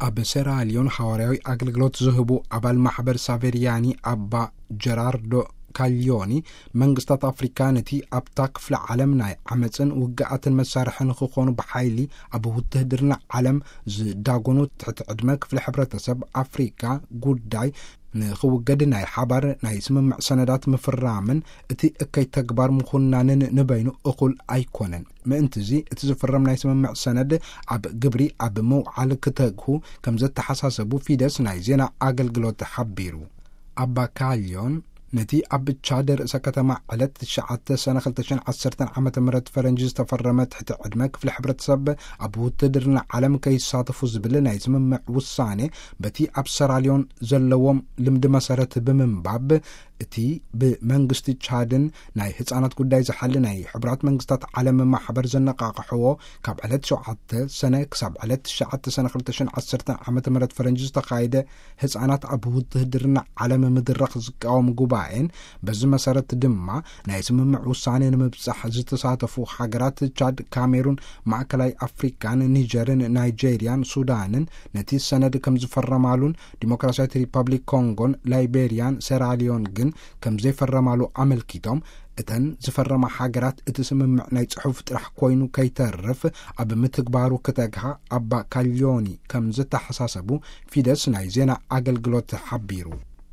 ኣብ ሴራሊዮን ሓዋርያዊ ኣገልግሎት ዝህቡ ኣባል ማሕበር ሳቬርያኒ ኣባ ጀራርዶ ካሊዮኒ፣ መንግስታት ኣፍሪካ ነቲ ኣብታ ክፍለ ዓለም ናይ ዓመፅን ውግኣትን መሳርሒ ንክኾኑ ብሓይሊ ኣብ ውትህድርና ዓለም ዝዳጎኑ ትሕቲ ዕድመ ክፍለ ሕብረተሰብ ኣፍሪካ ጉዳይ ንክውገድ ናይ ሓባር ናይ ስምምዕ ሰነዳት ምፍራምን እቲ እከይ ተግባር ምኹናንን ንበይኑ እኹል ኣይኮነን። ምእንትዚ እቲ ዝፍረም ናይ ስምምዕ ሰነድ ኣብ ግብሪ ኣብ ምውዓል ክተግሁ ከም ዘተሓሳሰቡ ፊደስ ናይ ዜና ኣገልግሎት ሓቢሩ። ኣባ ካልዮን ነቲ ኣብ ቻድ ርእሰ ከተማ ዕለት ትሽዓተ ሰነ ክልተ ሽሕን ዓሰርተን ዓመተ ምህረት ፈረንጂ ዝተፈረመ ትሕቲ ዕድመ ክፍሊ ሕብረተሰብ ኣብ ውትድርና ዓለም ከይሳተፉ ዝብል ናይ ስምምዕ ውሳኔ በቲ ኣብ ሰራልዮን ዘለዎም ልምዲ መሰረት ብምንባብ እቲ ብመንግስቲ ቻድን ናይ ህፃናት ጉዳይ ዝሓሊ ናይ ሕቡራት መንግስታት ዓለም ማሕበር ዘነቃቅሕዎ ካብ ዕለት ሸውዓተ ሰነ ክሳብ ዕለት ትሽዓተ ሰነ ክልተ ሽሕን ዓሰርተን ዓመተ ምህረት ፈረንጂ ዝተኻየደ ህፃናት ኣብ ውትህድርና ዓለም ምድራኽ ዝቃወም ጉባኤን በዚ መሰረት ድማ ናይ ስምምዕ ውሳኔ ንምብጻሕ ዝተሳተፉ ሃገራት ቻድ፣ ካሜሩን፣ ማእከላይ ኣፍሪካን፣ ኒጀርን፣ ናይጄሪያን፣ ሱዳንን ነቲ ሰነድ ከም ዝፈረማሉን ዲሞክራሲያዊት ሪፐብሊክ ኮንጎን ላይቤሪያን ሴራሊዮን ግን ከም ዘይፈረማሉ ኣመልኪቶም፣ እተን ዝፈረማ ሃገራት እቲ ስምምዕ ናይ ጽሑፍ ጥራሕ ኮይኑ ከይተርፍ ኣብ ምትግባሩ ክተግሃ ኣባ ካሊዮኒ ከም ዝተሓሳሰቡ ፊደስ ናይ ዜና ኣገልግሎት ሓቢሩ።